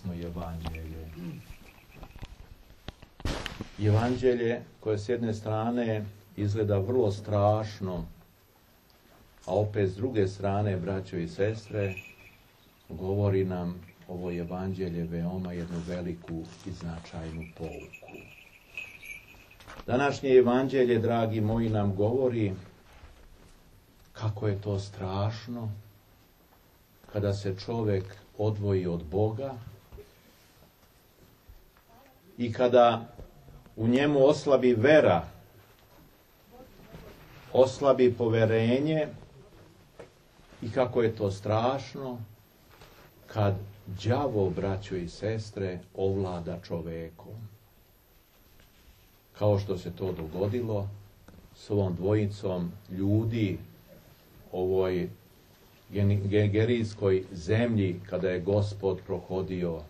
čudesno evanđelje. Evanđelje koje s jedne strane izgleda vrlo strašno, a opet s druge strane, braćo i sestre, govori nam ovo evanđelje veoma jednu veliku i značajnu pouku. Današnje evanđelje, dragi moji, nam govori kako je to strašno kada se čovjek odvoji od Boga i kada u njemu oslabi vera, oslabi poverenje i kako je to strašno kad đavo, braćo i sestre, ovlada čovekom. Kao što se to dogodilo s ovom dvojicom ljudi ovoj gerijskoj zemlji kada je Gospod prohodio.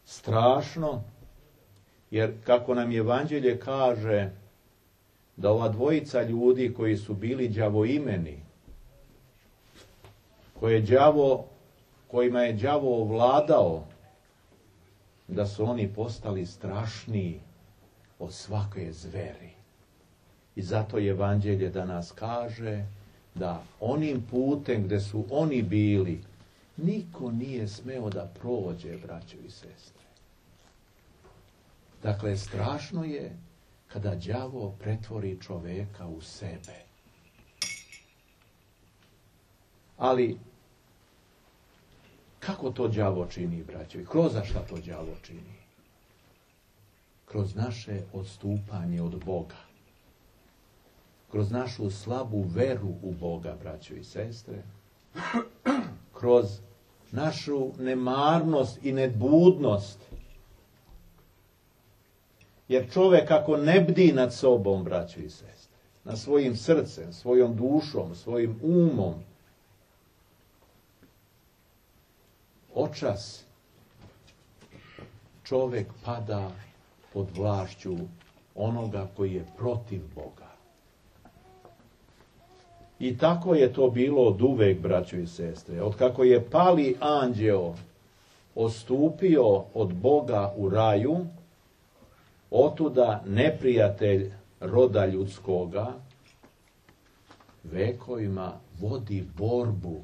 Strašno, jer kako nam evanđelje kaže da ova dvojica ljudi koji su bili đavoimeni, kojima je đavo ovladao, da su oni postali strašniji od svake zveri. I zato evanđelje danas kaže da onim putem gde su oni bili, niko nije smeo da prođe, braćo i sestre. Dakle, strašno je kada đavo pretvori čoveka u sebe. Ali, kako to đavo čini, braćo? I kroz šta to đavo čini? Kroz naše odstupanje od Boga. Kroz našu slabu veru u Boga, braćo i sestre. Kroz našu nemarnost i nebudnost. Jer čovjek ako ne bdi nad sobom, braćo i sestre, nad svojim srcem, svojom dušom, svojim umom, očas čovjek pada pod vlašću onoga koji je protiv Boga. I tako je to bilo od uvek, braćo i sestre. Od kako je pali anđeo odstupio od Boga u raju, otuda neprijatelj roda ljudskoga vekovima vodi borbu.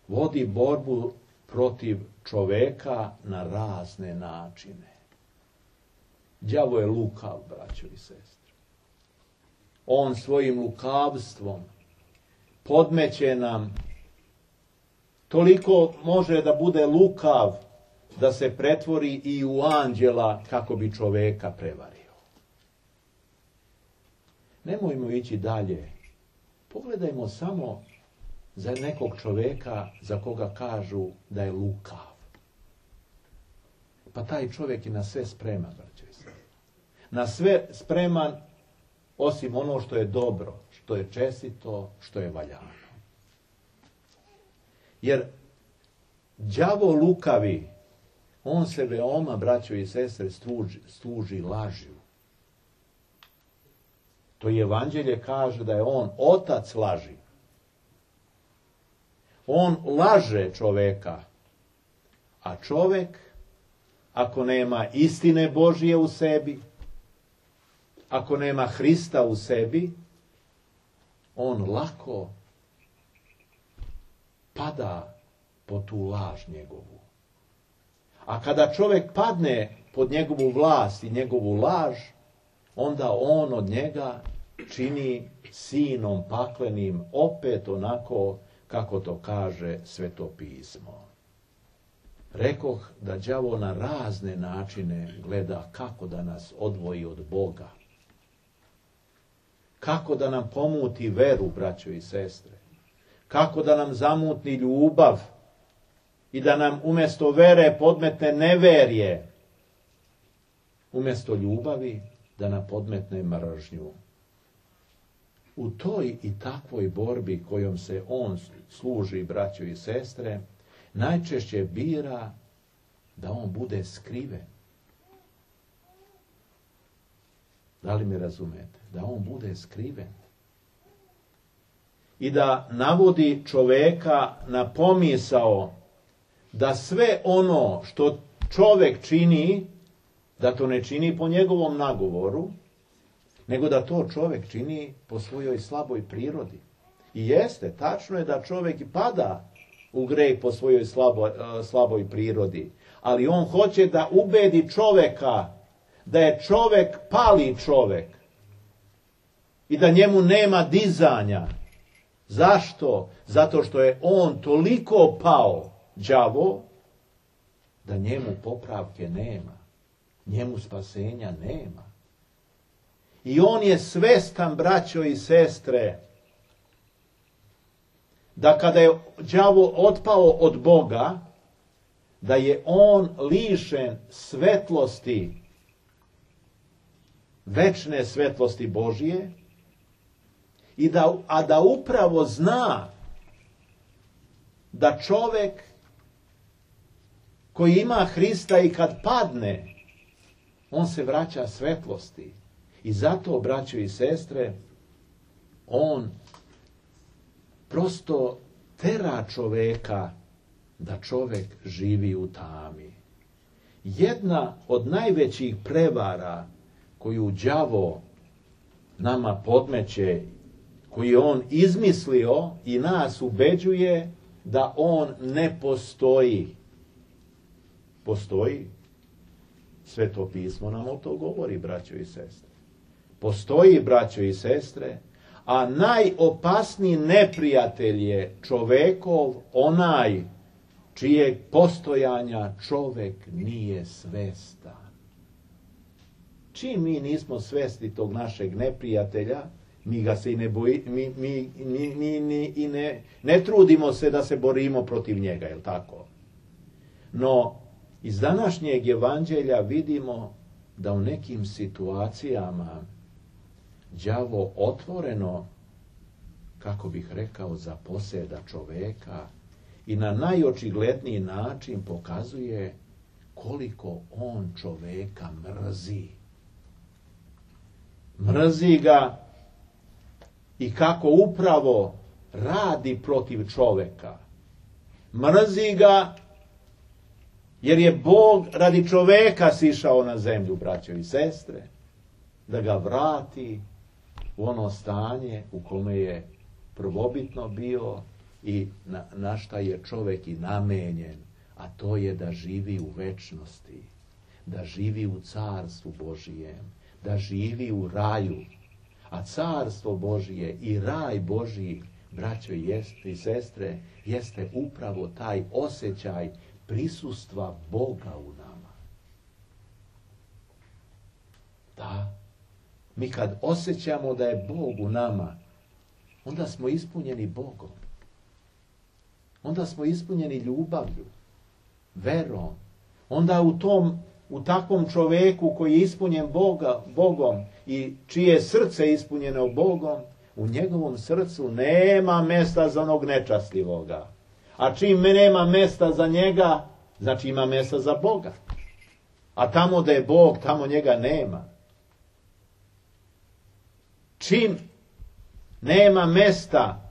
Vodi borbu protiv čoveka na razne načine. Đavo je lukav, braćo i sestre. On svojim lukavstvom podmeće nam, toliko može da bude lukav da se pretvori i u anđela kako bi čoveka prevario. Nemojmo ići dalje. Pogledajmo samo za nekog čoveka za koga kažu da je lukav. Pa taj čovjek je na sve spreman, braćo i sestre. Na sve spreman osim ono što je dobro, što je čestito, što je valjano. Jer đavo lukavi, on se veoma, braćo i sestre, služi lažju. To evanđelje kaže da je on otac laži. On laže čoveka, a čovek, ako nema istine Božije u sebi, ako nema Hrista u sebi, on lako pada pod tu laž njegovu. A kada čovjek padne pod njegovu vlast i njegovu laž, onda on od njega čini sinom paklenim, opet onako kako to kaže Sveto pismo. Rekoh da đavo na razne načine gleda kako da nas odvoji od Boga. Kako da nam pomuti veru, braćo i sestre. Kako da nam zamutni ljubav i da nam umjesto vere podmetne neverje. Umjesto ljubavi da nam podmetne mržnju. U toj i takvoj borbi kojom se on služi, braćo i sestre, najčešće bira da on bude skriven. Da li me razumete? Da on bude skriven. I da navodi čoveka na pomisao da sve ono što čovjek čini, da to ne čini po njegovom nagovoru, nego da to čovjek čini po svojoj slaboj prirodi. I jeste, tačno je da čovjek i pada u grijeh po svojoj slaboj prirodi, ali on hoće da ubedi čovjeka da je čovjek pali čovjek i da njemu nema dizanja. Zašto? Zato što je on toliko pao, đavo, da njemu popravke nema, njemu spasenja nema. I on je svestan, braćo i sestre, da kada je đavo otpao od Boga, da je on lišen svetlosti, večne svetlosti Božije, a da upravo zna da čovjek koji ima Hrista i kad padne, on se vraća svetlosti. I zato, braćo i sestre, on prosto tera čovjeka da čovjek živi u tami. Jedna od najvećih prevara koju đavo nama podmeće, koju je on izmislio i nas ubeđuje da on ne postoji. Postoji. Sveto pismo nam o to govori, braćo i sestre. Postoji, braćo i sestre, a najopasniji neprijatelj je čovekov, onaj čijeg postojanja čovek nije svestan. Čim mi nismo svesni tog našeg neprijatelja, mi ga se i ne ne trudimo se da se borimo protiv njega, je li tako? No, iz današnjeg evanđelja vidimo da u nekim situacijama đavo otvoreno, kako bih rekao, zaposeda čoveka i na najočigledniji način pokazuje koliko on čoveka mrzi. Mrzi ga i kako upravo radi protiv čoveka. Mrzi ga jer je Bog radi čoveka sišao na zemlju, braćo i sestre, da ga vrati u ono stanje u kome je prvobitno bio i na šta je čovjek i namenjen, a to je da živi u večnosti, da živi u carstvu Božijem, da živi u raju. A carstvo Božije i raj Božiji, braćo i sestre, jeste upravo taj osjećaj prisustva Boga u nama. Da, mi kad osjećamo da je Bog u nama, onda smo ispunjeni Bogom. Onda smo ispunjeni ljubavlju, verom. Onda u takvom čovjeku koji je ispunjen Bogom i čije srce je ispunjeno Bogom, u njegovom srcu nema mjesta za onog nečastivoga. A čim nema mjesta za njega, znači ima mjesta za Boga. A tamo da je Bog, tamo njega nema. Čim nema mjesta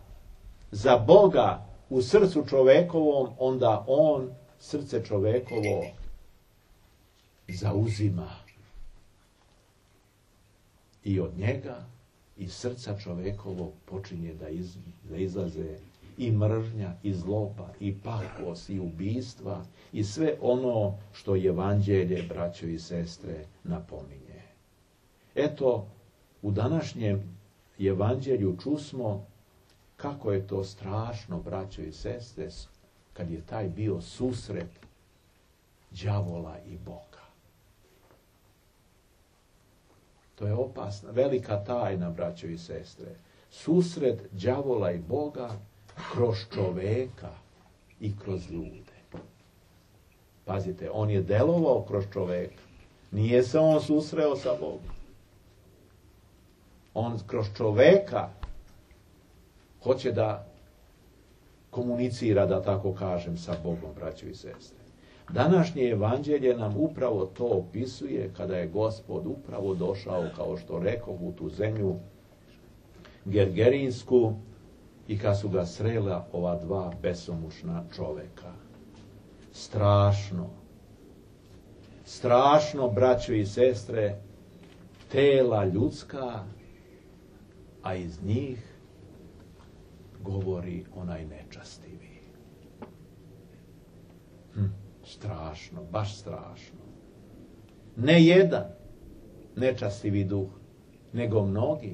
za Boga u srcu čovekovom, onda on srce čovekovo zauzima. I od njega, iz srca čovekovog počinje da izlaze i mržnja, i zloba, i pakost, i ubistva, i sve ono što evanđelje, braćo i sestre, napominje. Eto, u današnjem evanđelju čusmo kako je to strašno, braćo i sestre, kad je taj bio susret đavola i Boga. To je opasna, velika tajna, braćo i sestre. Susret đavola i Boga kroz čoveka i kroz ljude. Pazite, on je delovao kroz čoveka. Nije se on susreo sa Bogom. On kroz čoveka hoće da komunicira, da tako kažem, sa Bogom, braćo i sestre. Današnje evanđelje nam upravo to opisuje kada je Gospod upravo došao, kao što rekoh, u tu zemlju Gergerinsku i kad su ga srela ova dva besomučna čoveka. strašno. Strašno, braćo i sestre, tela ljudska, a iz njih govori onaj nečastivi. Strašno, baš strašno. Ne jedan nečastivi duh, nego mnogi,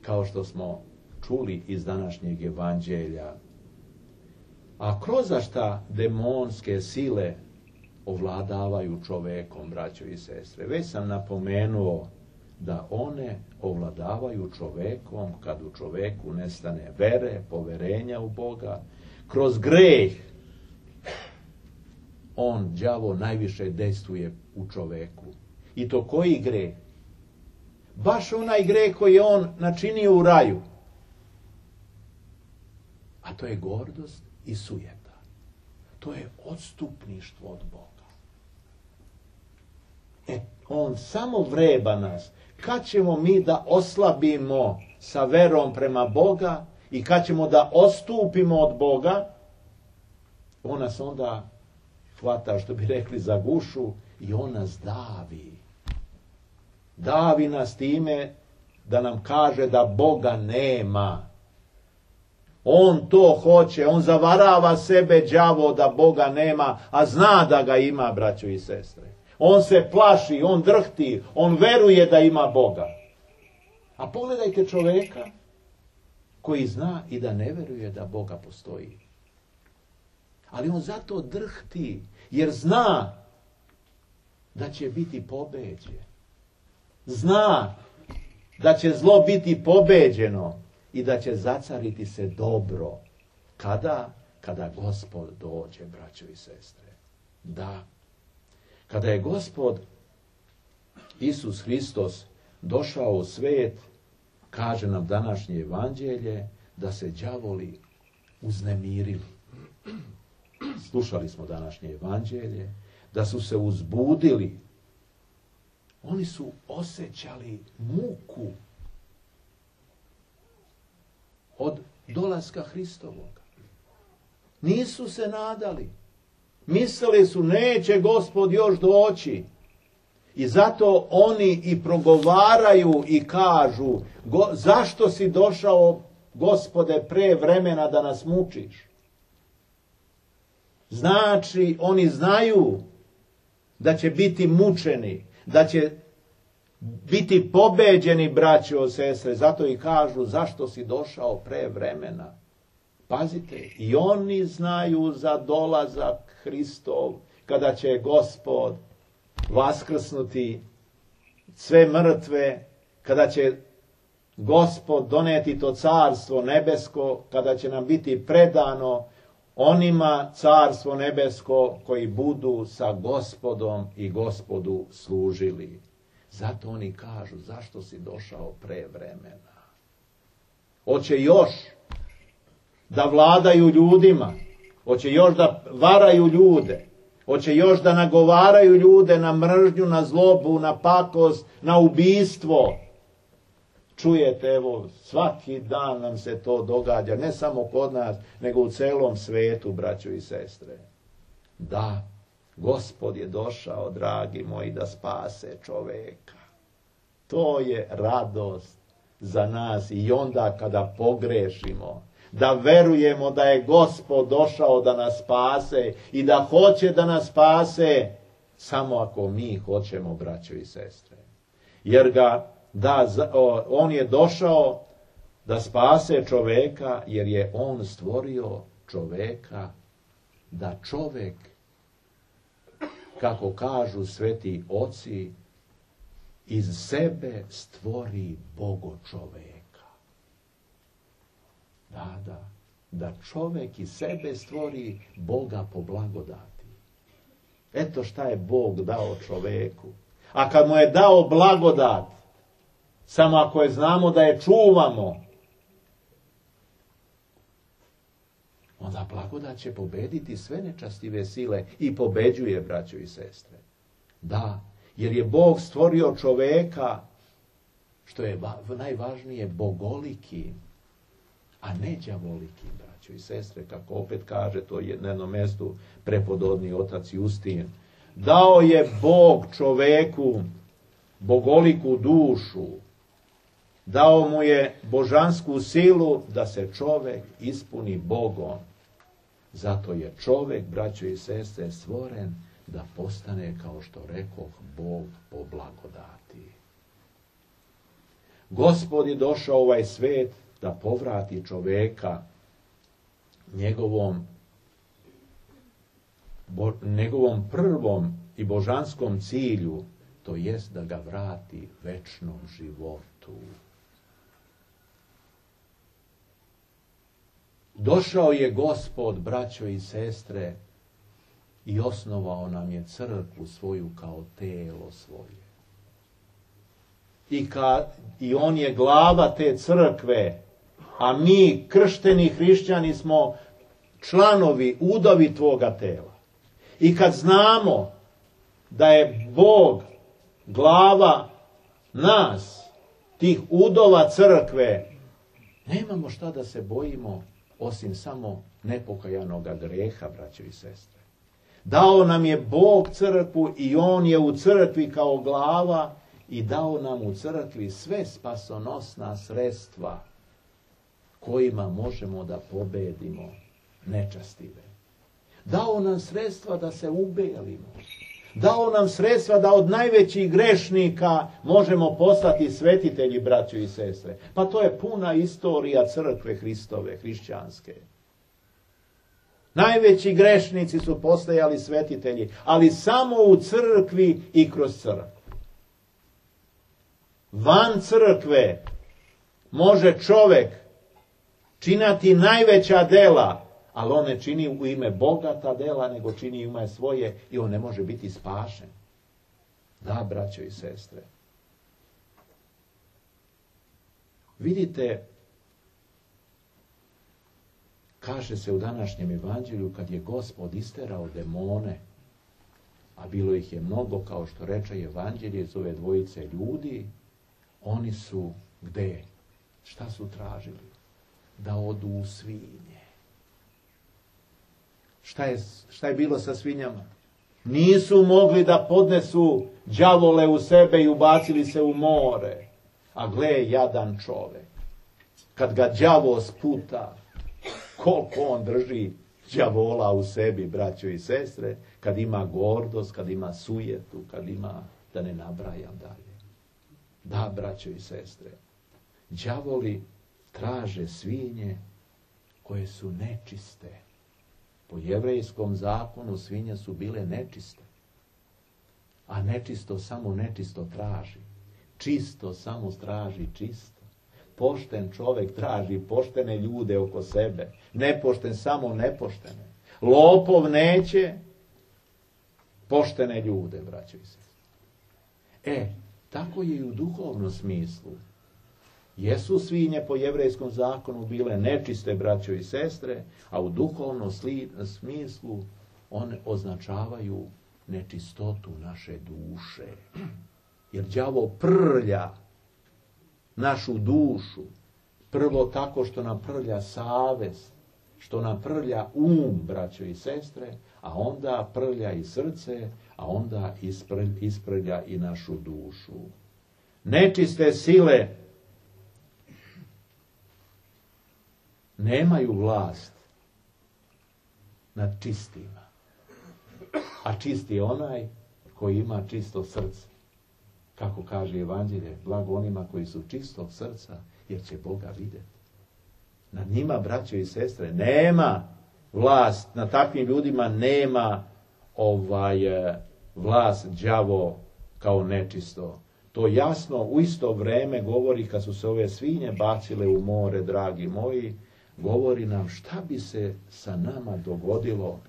kao što smo čuli iz današnjeg evanđelja. A kroz šta demonske sile ovladavaju čovekom, braćo i sestre? Već sam napomenuo da one ovladavaju čovekom kad u čoveku nestane vere, poverenja u Boga. Kroz greh đavo najviše dejstvuje u čoveku. I to koji greh? Baš onaj greh koji je on načinio u raju. A to je gordost i sujeta. To je odstupništvo od Boga. On samo vreba nas. Kad ćemo mi da oslabimo sa verom prema Boga i kad ćemo da odstupimo od Boga, on nas onda hvata, što bi rekli, za gušu i on nas davi. Davi nas time da nam kaže da Boga nema. On to hoće, on zavarava sebe, đavo, da Boga nema, a zna da ga ima, braćo i sestre. On se plaši, on drhti, on veruje da ima Boga. A pogledajte čoveka koji zna i da ne veruje da Boga postoji. Ali on zato drhti, jer zna da će biti pobeđen. Zna da će zlo biti pobeđeno i da će zacariti se dobro. Kada? Kada Gospod dođe, braćo i sestre. Da. Kada je Gospod Isus Hristos došao u svet, kaže nam današnje evanđelje, da se đavoli uznemirili. Slušali smo današnje evanđelje, da su se uzbudili. Oni su osjećali muku od dolaska Hristovoga. Nisu se nadali. Mislili su, neće Gospod još doći. I zato oni i progovaraju i kažu, zašto si došao, Gospode, pre vremena da nas mučiš? Znači, oni znaju da će biti mučeni, da će biti pobeđeni, braćo, sestre. Zato i kažu, zašto si došao pre vremena? Pazite, i oni znaju za dolazak Hristov, kada će Gospod vaskrsnuti sve mrtve, kada će Gospod doneti to carstvo nebesko, kada će nam biti predano onima carstvo nebesko koji budu sa Gospodom i Gospodu služili. Zato oni kažu, zašto si došao pre vremena? Hoće još da vladaju ljudima, hoće još da varaju ljude, hoće još da nagovaraju ljude na mržnju, na zlobu, na pakost, na ubistvo. Čujete, evo, svaki dan nam se to događa, ne samo kod nas, nego u celom svetu, braćo i sestre. Da, Gospod je došao, dragi moji, da spase čoveka. To je radost za nas i onda kada pogrešimo, da verujemo da je Gospod došao da nas spase i da hoće da nas spase, samo ako mi hoćemo, braćo i sestre. Jer on je došao da spase čoveka, jer je on stvorio čoveka, da čovek, kako kažu sveti oci, iz sebe stvori Bogo čoveka. Da čovek iz sebe stvori Boga po blagodati. Eto šta je Bog dao čoveku. A kad mu je dao blagodat, samo ako je znamo da je čuvamo, onda blagodat će pobediti sve nečastive sile i pobeđuje, braćo i sestre. Da, jer je Bog stvorio čoveka, što je najvažnije, bogoliki, a ne đavoliki, braćo braćo i sestre, kako opet kaže to je na jednom mjestu prepodobni otac Justin. Dao je Bog čoveku bogoliku dušu, dao mu je božansku silu da se čovek ispuni Bogom. Zato je čovek, braćo i sestre, stvoren da postane, kao što rekoh, Bog po blagodati. Gospod je došao u ovaj svet da povrati čoveka njegovom prvom i božanskom cilju, to jest da ga vrati večnom životu. Došao je Gospod, braćo i sestre, i osnovao nam je crkvu svoju kao telo svoje. I on je glava te crkve, a mi, kršteni hrišćani, smo članovi, udovi tvoga tela. I kad znamo da je Bog glava nas, tih udova crkve, nemamo šta da se bojimo osim samo nepokajanoga greha, braćo i sestre. Dao nam je Bog crkvu i on je u crkvi kao glava i dao nam u crkvi sve spasonosna sredstva kojima možemo da pobedimo nečastive. Dao nam sredstva da se ubelimo. Dao nam sredstva da od najvećih grešnika možemo postati svetitelji, braćo i sestre. Pa to je puna istorija crkve Hristove, hrišćanske. Najveći grešnici su postajali svetitelji, ali samo u crkvi i kroz crkvu. Van crkve može čovjek činiti najveća dela, ali on ne čini u ime Boga ta dela, nego čini u ime svoje i on ne može biti spašen. Da, braćo i sestre. Vidite, kaže se u današnjem evanđelju, kad je Gospod isterao demone, a bilo ih je mnogo, kao što reče evanđelje iz ove dvojice ljudi, oni su gde? Šta su tražili? Da odu u svinje. Šta je bilo sa svinjama? Nisu mogli da podnesu đavole u sebe i ubacili se u more. A gle, jadan čovek. Kad ga đavo sputa, koliko on drži đavola u sebi, braćo i sestre, kad ima gordost, kad ima sujetu, kad ima, da ne nabrajam dalje. Da, braćo i sestre, đavoli traže svinje koje su nečiste. Po jevrejskom zakonu svinje su bile nečiste. A nečisto samo nečisto traži. Čisto samo traži čisto. Pošten čovjek traži poštene ljude oko sebe. Nepošten samo nepoštene. Lopov neće poštene ljude, braćo i sestre. Tako je i u duhovnom smislu. Jesu svinje po jevrejskom zakonu bile nečiste, braćo i sestre, a u duhovnom smislu one označavaju nečistotu naše duše. Jer đavo prlja našu dušu, prvo tako što nam prlja savest, što nam prlja braćo i sestre, a onda prlja i srce, a onda isprlja i našu dušu. Nečiste sile nemaju vlast nad čistima. A čist je onaj koji ima čisto srce. Kako kaže evanđelje, blago onima koji su čistog srca, jer će Boga vidjeti. Nad njima, braćo i sestre, nema vlast, nad takvim ljudima nema vlast đavo kao nečisto. To jasno u isto vrijeme govori, kad su se ove svinje bacile u more, dragi moji, govori nam šta bi se sa nama dogodilo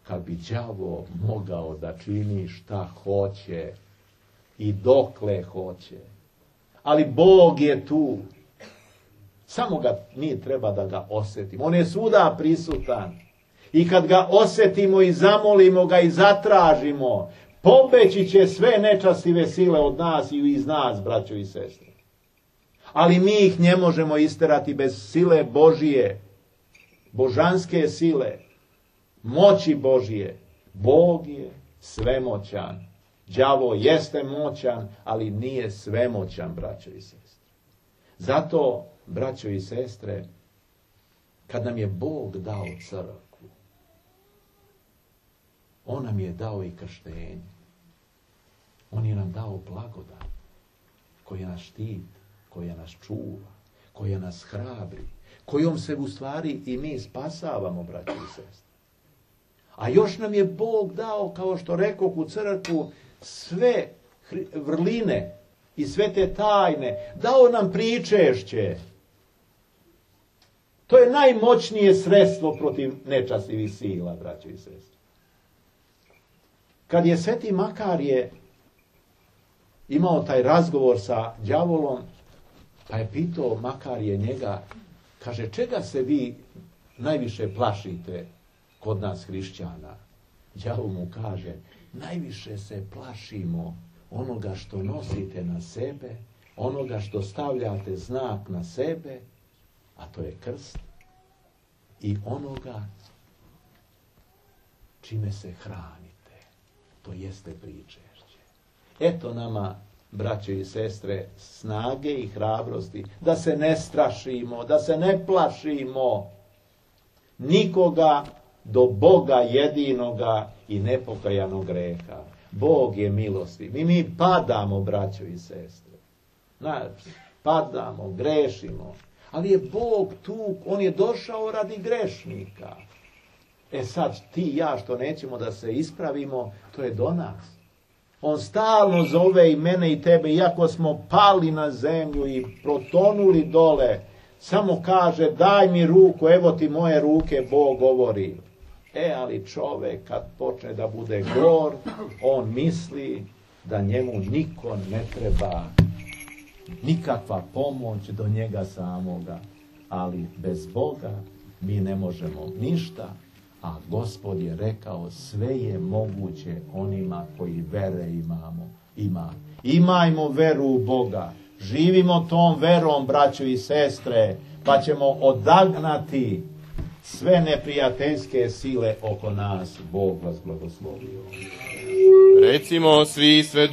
kad bi đavo mogao da čini šta hoće i dokle hoće. Ali Bog je tu. Samo mi treba da ga osjetimo. On je svuda prisutan. I kad ga osjetimo i zamolimo ga i zatražimo, pobeći će sve nečastive sile od nas i iz nas, braćo i sestre. Ali mi ih ne možemo isterati bez sile Božije. božanske sile, moći Božije. Bog je svemoćan. Đavo jeste moćan, ali nije svemoćan, braćo i sestre. Zato, braćo i sestre, kad nam je Bog dao crkvu, on nam je dao i krštenje. On je nam dao blagodat koja nas štiti, koja nas čuva, koja nas hrabri, kojom se u stvari i mi spasavamo, braći i sestre. A još nam je Bog dao, kao što rekoh, u crkvu sve vrline i sve te tajne. Dao nam pričešće. To je najmoćnije sredstvo protiv nečastivih sila, braći i sestre. Kad je Sveti Makarije imao taj razgovor sa đavolom, pa je pitao Makarije njega, kaže, čega se vi najviše plašite kod nas hrišćana? Đavol mu kaže, najviše se plašimo onoga što nosite na sebe, onoga što stavljate znak na sebe, a to je krst, i onoga čime se hranite, to jeste pričešće. Eto nama, braćo i sestre, snage i hrabrosti, da se ne strašimo, da se ne plašimo nikoga do Boga jedinoga i nepokajanog greha. Bog je milosti. Mi padamo, braćo i sestre. Padamo, grešimo. Ali je Bog tu, on je došao radi grešnika. Sad ti i ja što nećemo da se ispravimo, to je do nas. On stalno zove i mene i tebe, iako smo pali na zemlju i protonuli dole, samo kaže, daj mi ruku, evo ti moje ruke, Bog govori. Ali čovek kad počne da bude gor, on misli da njemu niko ne treba, nikakva pomoć do njega samoga. Ali bez Boga mi ne možemo ništa, a Gospod je rekao, sve je moguće onima koji vere ima. Imajmo veru u Boga. Živimo tom verom, braćo i sestre, pa ćemo odagnati sve neprijateljske sile oko nas. Bog vas blagoslovio. Recimo svi sve